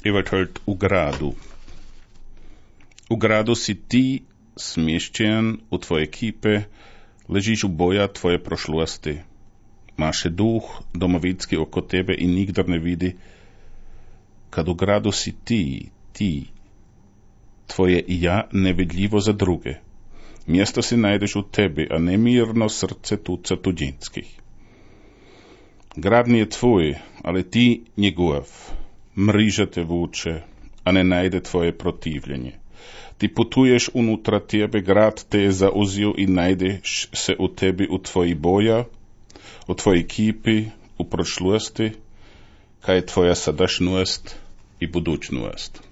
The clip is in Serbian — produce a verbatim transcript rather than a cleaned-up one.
Evert u gradu. U gradu si ti smješćen u tvoje kipe, ležiš u boja tvoje prošlosti. Máš duh domovinski oko tebe i nikdo ne vidi. Kad u gradu si ti, ti, tvoje i ja nevidljivo za druge. Mjesto si najdeš u tebi, a nemirno srce tuca tuđinskih. Grad nije tvoj, ali ti njegov. Mriža te vuče, a ne najde tvoje protivljenje. Ti putuješ unutra tebe, grad te je zauzio i najdeš se u tebi u tvoji boja, u tvoji kipi, u prošlosti, kaj je tvoja sadašnjost i budućnost.